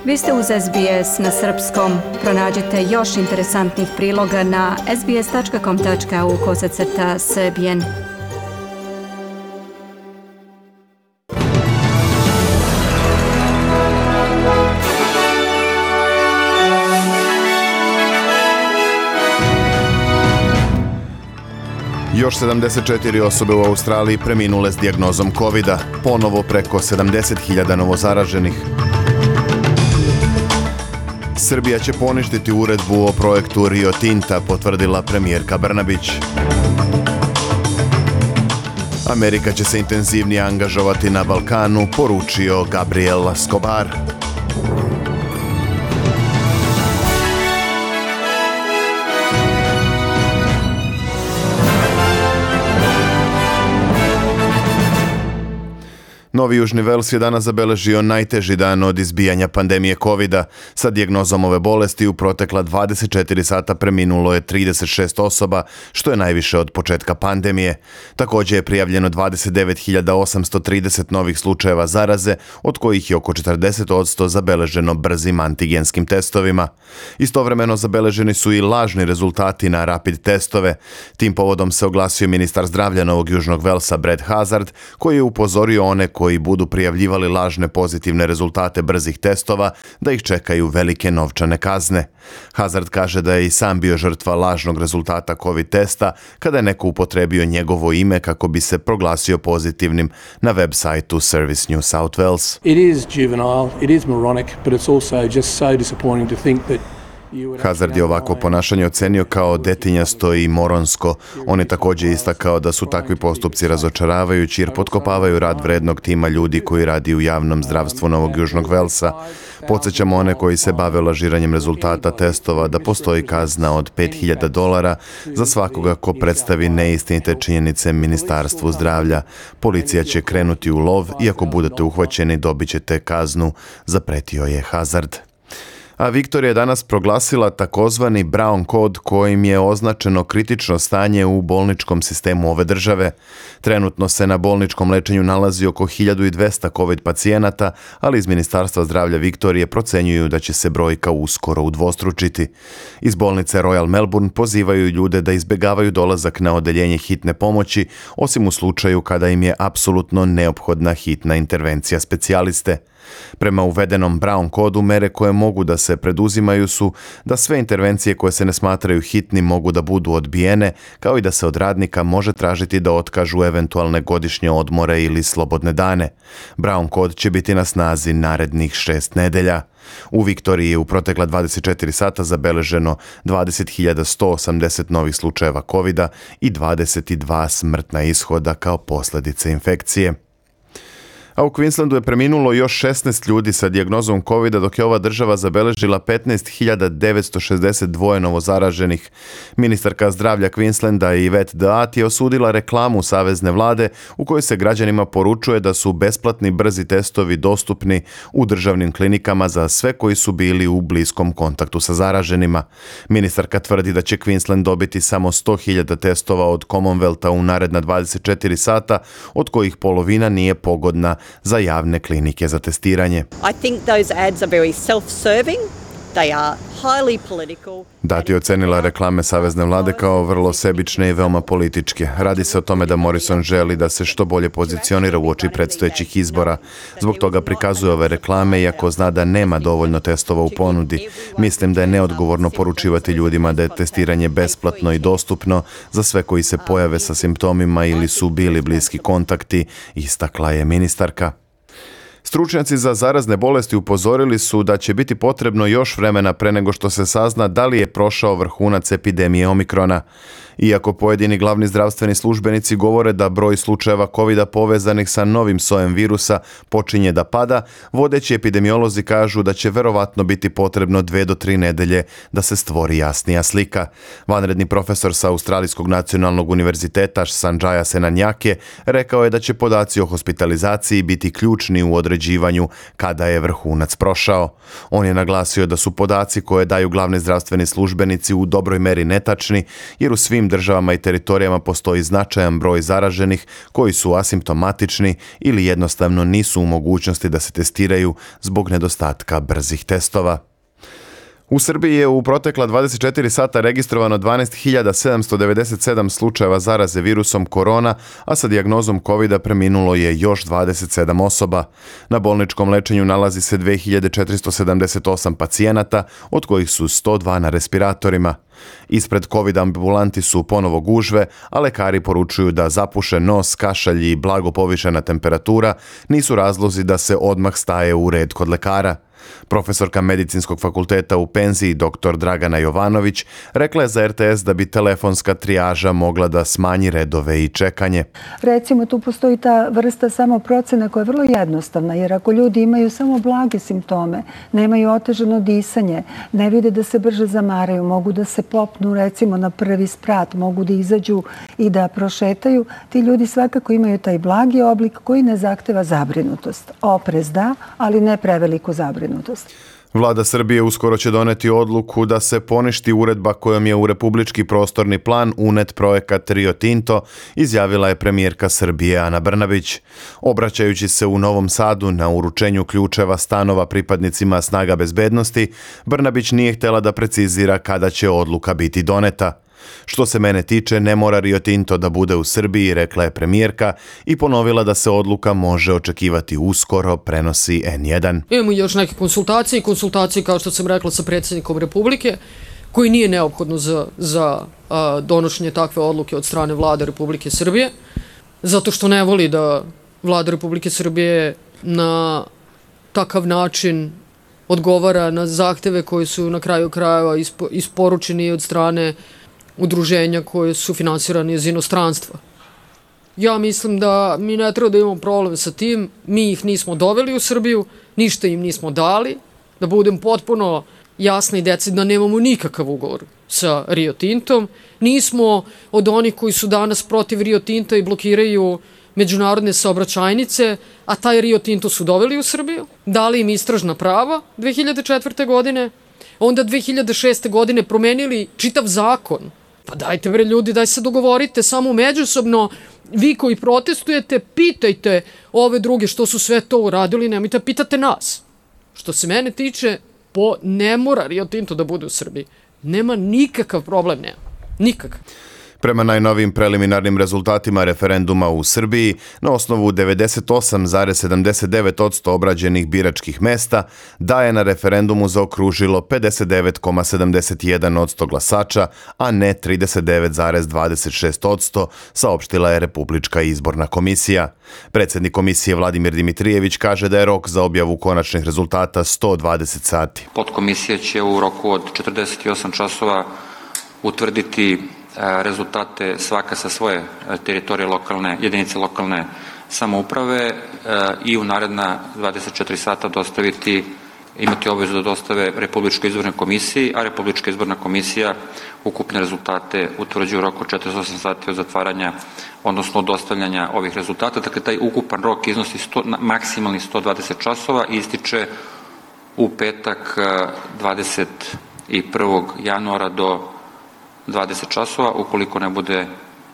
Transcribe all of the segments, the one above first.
Vi ste uz SBS na srpskom. Pronađite još interesantnih priloga na sbs.com.au/srbijen. Još 74 osobe u Australiji preminule s dijagnozom COVID-a, ponovo preko 70.000 novozaraženih. Srbija će poništiti uredbu o projektu Rio Tinta, potvrdila premijerka Brnabić. Amerika će se intenzivnije angažovati na Balkanu, poručio Gabriel Escobar. Novi Južni Vels je danas zabeležio najteži dan od izbijanja pandemije COVID-a. Sa dijagnozom ove bolesti u protekla 24 sata preminulo je 36 osoba, što je najviše od početka pandemije. Također je prijavljeno 29.830 novih slučajeva zaraze, od kojih je oko 40% zabeleženo brzim antigenskim testovima. Istovremeno zabeleženi su i lažni rezultati na rapid testove. Tim povodom se oglasio ministar zdravlja Novog Južnog Velsa Brad Hazzard, koji je upozorio one koji budu prijavljivali lažne pozitivne rezultate brzih testova da ih čekaju velike novčane kazne. Hazzard kaže da je i sam bio žrtva lažnog rezultata COVID testa kada je neko upotrebio njegovo ime kako bi se proglasio pozitivnim na web sajtu Service New South Wales. It is juvenile, it is moronic, but it's also just so disappointing to think that Hazzard je ovako ponašanje ocenio kao detinjasto i moronsko. On je također istakao da su takvi postupci razočaravajući jer potkopavaju rad vrednog tima ljudi koji radi u javnom zdravstvu Novog Južnog Velsa. Podsjećamo one koji se bave lažiranjem rezultata testova da postoji kazna od $5.000 za svakoga ko predstavi neistinite činjenice Ministarstvu zdravlja. Policija će krenuti u lov i ako budete uhvaćeni dobit ćete kaznu, zapretio je Hazzard. A Viktorija je danas proglasila takozvani Brown kod kojim je označeno kritično stanje u bolničkom sistemu ove države. Trenutno se na bolničkom lečenju nalazi oko 1200 COVID pacijenata, ali iz Ministarstva zdravlja Viktorije procenjuju da će se brojka uskoro udvostručiti. Iz bolnice Royal Melbourne pozivaju ljude da izbjegavaju dolazak na odeljenje hitne pomoći, osim u slučaju kada im je apsolutno neophodna hitna intervencija specijaliste. Prema uvedenom Brown kodu, mere koje mogu da se preduzimaju su da sve intervencije koje se ne smatraju hitnim mogu da budu odbijene, kao i da se od radnika može tražiti da otkažu eventualne godišnje odmore ili slobodne dane. Brown kod će biti na snazi narednih 6 nedelja. U Viktoriji je u protekla 24 sata zabeleženo 20.180 novih slučajeva COVID-a i 22 smrtna ishoda kao posljedice infekcije. A u Queenslandu je preminulo još 16 ljudi sa dijagnozom COVID-a, dok je ova država zabeležila 15.962 novozaraženih. Ministarka zdravlja Queenslanda Yvette D'Ath je osudila reklamu savezne vlade u kojoj se građanima poručuje da su besplatni brzi testovi dostupni u državnim klinikama za sve koji su bili u bliskom kontaktu sa zaraženima. Ministarka tvrdi da će Queensland dobiti samo 100.000 testova od Commonwealtha u naredna 24 sata, od kojih polovina nije pogodna za javne klinike za testiranje. I think those ads are very self-serving. They are highly political. D'Ath je ocenila reklame savezne vlade kao vrlo sebične i veoma političke. Radi se o tome da Morrison želi da se što bolje pozicionira uoči predstojećih izbora. Zbog toga prikazuje ove reklame, iako zna da nema dovoljno testova u ponudi. Mislim da je neodgovorno poručivati ljudima da je testiranje besplatno i dostupno za sve koji se pojave sa simptomima ili su bili bliski kontakti, istakla je ministarka. Stručnjaci za zarazne bolesti upozorili su da će biti potrebno još vremena pre nego što se sazna da li je prošao vrhunac epidemije Omikrona. Iako pojedini glavni zdravstveni službenici govore da broj slučajeva COVID-a povezanih sa novim sojem virusa počinje da pada, vodeći epidemiolozi kažu da će verovatno biti potrebno 2 do 3 nedelje da se stvori jasnija slika. Vanredni profesor sa Australijskog nacionalnog univerziteta Sanjaya Senanjake rekao je da će podaci o hospitalizaciji biti ključni u određenju određivanju kada je vrhunac prošao. On je naglasio da su podaci koje daju glavni zdravstveni službenici u dobroj meri netačni, jer u svim državama i teritorijama postoji značajan broj zaraženih koji su asimptomatični ili jednostavno nisu u mogućnosti da se testiraju zbog nedostatka brzih testova. U Srbiji je u protekla 24 sata registrovano 12.797 slučajeva zaraze virusom korona, a sa dijagnozom COVID-a preminulo je još 27 osoba. Na bolničkom lečenju nalazi se 2.478 pacijenata, od kojih su 102 na respiratorima. Ispred COVID ambulanti su ponovo gužve, a lekari poručuju da zapušen nos, kašalj i blago povišena temperatura nisu razlozi da se odmah staje u red kod lekara. Profesorka Medicinskog fakulteta u penziji dr. Dragana Jovanović rekla je za RTS da bi telefonska trijaža mogla da smanji redove i čekanje. Recimo, tu postoji ta vrsta samoprocene koja je vrlo jednostavna, jer ako ljudi imaju samo blage simptome, nemaju otežano disanje, ne vide da se brže zamaraju, mogu da se popnu recimo na prvi sprat, mogu da izađu i da prošetaju, ti ljudi svakako imaju taj blagi oblik koji ne zahteva zabrinutost. Oprez da, ali ne preveliku zabrinutost. Vlada Srbije uskoro će doneti odluku da se poništi uredba kojom je u republički prostorni plan unet projekat Rio Tinto, izjavila je premijerka Srbije Ana Brnabić. Obraćajući se u Novom Sadu na uručenju ključeva stanova pripadnicima snaga bezbednosti, Brnabić nije htjela da precizira kada će odluka biti doneta. Što se mene tiče, ne mora Rio Tinto da bude u Srbiji, rekla je premijerka i ponovila da se odluka može očekivati uskoro, prenosi N1. Imamo još neke konsultacije kao što sam rekla sa predsjednikom Republike, koji nije neophodno za donošenje takve odluke od strane Vlade Republike Srbije, zato što ne voli da Vlada Republike Srbije na takav način odgovara na zahteve koji su na kraju krajeva isporučeni od strane udruženja koje su finansirane iz inostranstva. Ja mislim da mi ne treba da imamo problem sa tim, mi ih nismo doveli u Srbiju, ništa im nismo dali, da budem potpuno jasna i decidna, nemamo nikakav ugovor sa Rio Tintom, nismo od onih koji su danas protiv Rio Tinta i blokiraju međunarodne saobraćajnice, a taj Rio Tinto su doveli u Srbiju, dali im istražna prava 2004. godine, onda 2006. godine promenili čitav zakon. Pa dajte bre ljudi, daj se dogovorite samo međusobno, vi koji protestujete, pitajte ove druge što su sve to uradili, nemojte pitate nas. Što se mene tiče, ne mora Rio Tinto da bude u Srbiji. Nema nikakav problem, nema. Nikakav. Prema najnovijim preliminarnim rezultatima referenduma u Srbiji, na osnovu 98,79% obrađenih biračkih mesta, da je na referendumu zaokružilo 59,71% glasača, a ne 39,26%, saopštila je Republička izborna komisija. Predsjednik komisije Vladimir Dimitrijević kaže da je rok za objavu konačnih rezultata 120 sati. Podkomisija će u roku od 48 časova utvrditi rezultate svaka sa svoje teritorije jedinice lokalne samouprave i u naredna 24 sata imati obavezu da dostave Republičkoj izbornoj komisiji, a Republička izborna komisija ukupne rezultate utvrđuje u roku 48 sati od zatvaranja, odnosno od dostavljanja ovih rezultata. Dakle, taj ukupan rok iznosi maksimalni 120 časova i ističe u petak 21. januara do 20 časova, ukoliko ne bude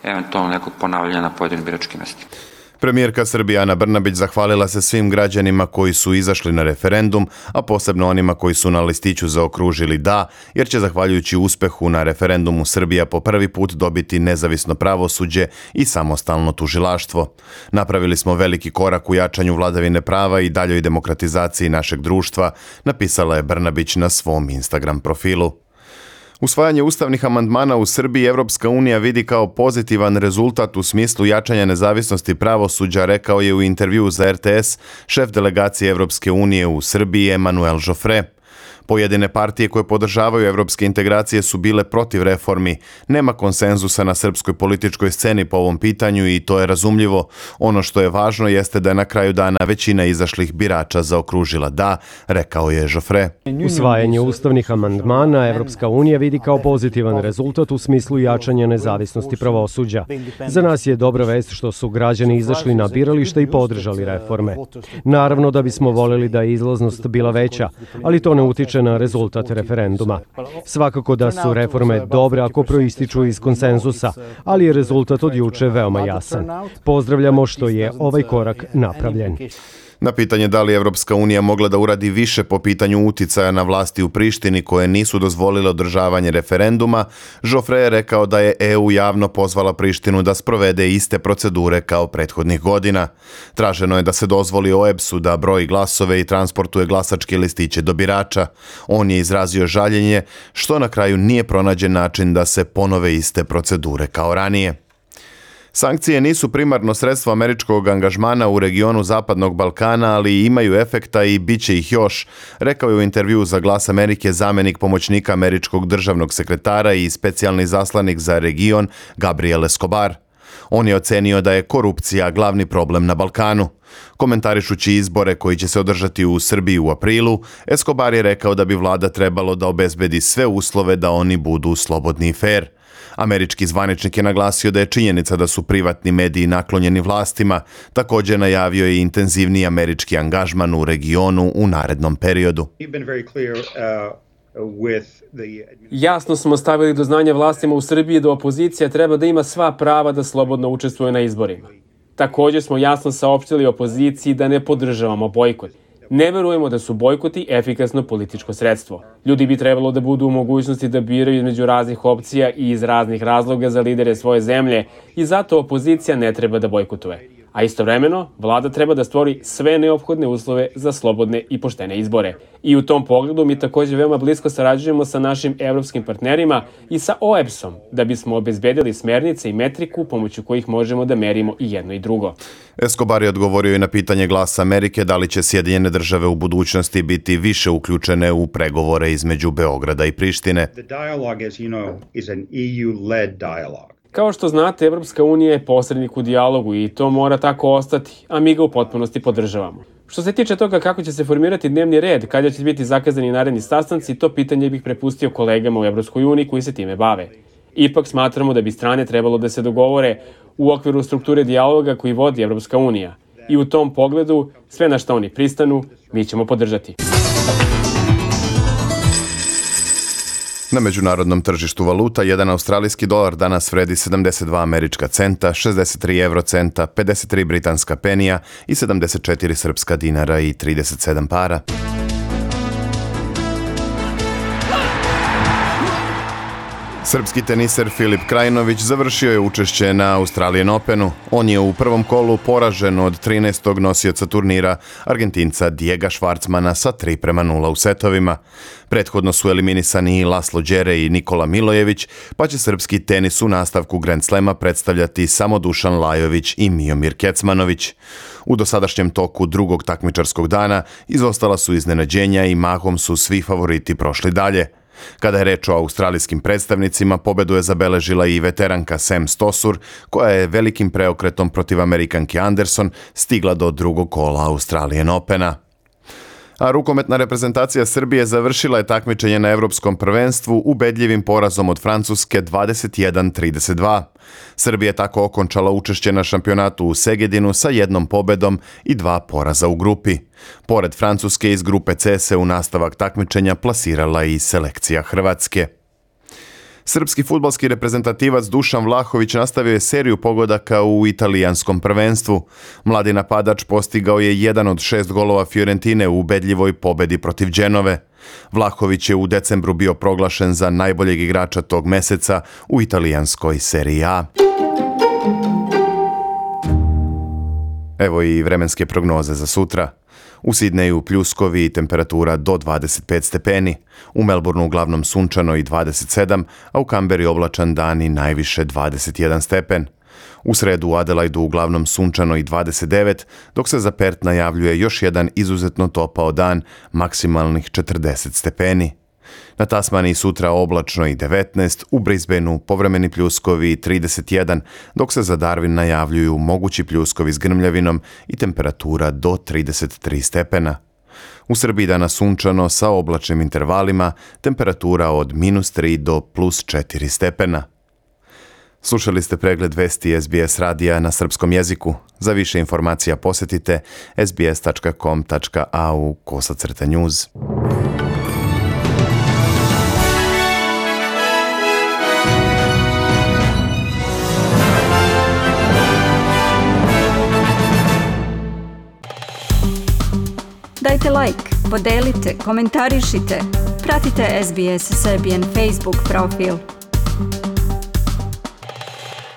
eventualno nekog ponavljanja na pojedinim biračkim mestima. Premijerka Srbije Ana Brnabić zahvalila se svim građanima koji su izašli na referendum, a posebno onima koji su na listiću zaokružili da, jer će zahvaljujući uspehu na referendumu Srbija po prvi put dobiti nezavisno pravosuđe i samostalno tužilaštvo. Napravili smo veliki korak u jačanju vladavine prava i daljoj demokratizaciji našeg društva, napisala je Brnabić na svom Instagram profilu. Usvajanje ustavnih amandmana u Srbiji Evropska unija vidi kao pozitivan rezultat u smislu jačanja nezavisnosti pravosuđa, rekao je u intervjuu za RTS šef delegacije Evropske unije u Srbiji Emanuel Joffre. Pojedine partije koje podržavaju evropske integracije su bile protiv reformi. Nema konsenzusa na srpskoj političkoj sceni po ovom pitanju i to je razumljivo. Ono što je važno jeste da je na kraju dana većina izašlih birača zaokružila da, rekao je Joffre. Usvajanje ustavnih amandmana Evropska unija vidi kao pozitivan rezultat u smislu jačanja nezavisnosti pravosuđa. Za nas je dobra vest što su građani izašli na birališta i podržali reforme. Naravno da bismo voljeli da je izlaznost bila veća, ali to ne utiče na rezultat referenduma. Svakako da su reforme dobre ako proističu iz konsenzusa, ali je rezultat od juče veoma jasan. Pozdravljamo što je ovaj korak napravljen. Na pitanje da li Evropska unija mogla da uradi više po pitanju uticaja na vlasti u Prištini koje nisu dozvolile održavanje referenduma, Joffre je rekao da je EU javno pozvala Prištinu da sprovede iste procedure kao prethodnih godina. Traženo je da se dozvoli OEBS-u da broji glasove i transportuje glasačke listiće do birača. On je izrazio žaljenje što na kraju nije pronađen način da se ponove iste procedure kao ranije. Sankcije nisu primarno sredstvo američkog angažmana u regionu Zapadnog Balkana, ali imaju efekta i bit će ih još, rekao je u intervjuu za Glas Amerike zamenik pomoćnika američkog državnog sekretara i specijalni zaslanik za region Gabriel Escobar. On je ocenio da je korupcija glavni problem na Balkanu. Komentarišući izbore koji će se održati u Srbiji u aprilu, Escobar je rekao da bi vlada trebalo da obezbedi sve uslove da oni budu slobodni i fer. Američki zvaničnik je naglasio da je činjenica da su privatni mediji naklonjeni vlastima, također najavio je intenzivniji američki angažman u regionu u narednom periodu. Jasno smo stavili do znanja vlastima u Srbiji da opozicija treba da ima sva prava da slobodno učestvuje na izborima. Također smo jasno saopštili opoziciji da ne podržavamo bojkot. Ne verujemo da su bojkoti efikasno političko sredstvo. Ljudi bi trebalo da budu u mogućnosti da biraju između raznih opcija i iz raznih razloga za lidere svoje zemlje i zato opozicija ne treba da bojkotuje. A istovremeno, vlada treba da stvori sve neophodne uslove za slobodne i poštene izbore. I u tom pogledu mi također veoma blisko sarađujemo sa našim evropskim partnerima i sa OEBS-om da bismo obezbedili smernice i metriku pomoću kojih možemo da merimo i jedno i drugo. Escobar je odgovorio i na pitanje Glasa Amerike da li će Sjedinjene države u budućnosti biti više uključene u pregovore između Beograda i Prištine. Kao što znate, Evropska unija je posrednik u dijalogu i to mora tako ostati, a mi ga u potpunosti podržavamo. Što se tiče toga kako će se formirati dnevni red, kada će biti zakazani naredni sastanci, to pitanje bih prepustio kolegama u Evropskoj uniji koji se time bave. Ipak smatramo da bi strane trebalo da se dogovore u okviru strukture dijaloga koji vodi Evropska unija. I u tom pogledu, sve na što oni pristanu, mi ćemo podržati. Na međunarodnom tržištu valuta, jedan australijski dolar danas vredi 72 američka centa, 63 eurocenta, 53 britanska penija i 74 srpska dinara i 37 para. Srpski teniser Filip Krajinović završio je učešće na Australian Openu. On je u prvom kolu poražen od 13. nosioca turnira, Argentinca Diega Švarcmana sa 3:0 u setovima. Prethodno su eliminisani i Laslo Đere i Nikola Milojević, pa će srpski tenis u nastavku Grand Slema predstavljati samo Dušan Lajović i Miomir Kecmanović. U dosadašnjem toku drugog takmičarskog dana izostala su iznenađenja i mahom su svi favoriti prošli dalje. Kada je reč o australijskim predstavnicima, pobedu je zabeležila i veteranka Sam Stosur, koja je velikim preokretom protiv Amerikanke Anderson stigla do drugog kola Australian Opena. A rukometna reprezentacija Srbije završila je takmičenje na Evropskom prvenstvu ubedljivim porazom od Francuske 21-32. Srbija je tako okončala učešće na šampionatu u Segedinu sa 1 pobedom i 2 poraza u grupi. Pored Francuske iz grupe C se u nastavak takmičenja plasirala i selekcija Hrvatske. Srpski fudbalski reprezentativac Dušan Vlahović nastavio je seriju pogodaka u italijanskom prvenstvu. Mladi napadač postigao je 1 od 6 golova Fiorentine u ubedljivoj pobedi protiv Dženove. Vlahović je u decembru bio proglašen za najboljeg igrača tog meseca u italijanskoj seriji A. Evo i vremenske prognoze za sutra. U Sidneju pljuskovi i temperatura do 25 stepeni, u Melbourneu uglavnom sunčano i 27, a u Kamberi oblačan dan i najviše 21 stepen. U sredu u Adelaidu uglavnom sunčano i 29, dok se za Perth najavljuje još jedan izuzetno topao dan, maksimalnih 40 stepeni. Na Tasmaniji sutra oblačno i 19, u Brisbaneu povremeni pljuskovi i 31, dok se za Darwin najavljuju mogući pljuskovi s grmljavinom i temperatura do 33 stepena. U Srbiji danas sunčano sa oblačnim intervalima, temperatura od -3 do +4 stepena. Slušali ste pregled vesti SBS radija na srpskom jeziku. Za više informacija posjetite sbs.com.au/news. Dajte like, podelite, komentarišite. Pratite SBS Serbian Facebook profil.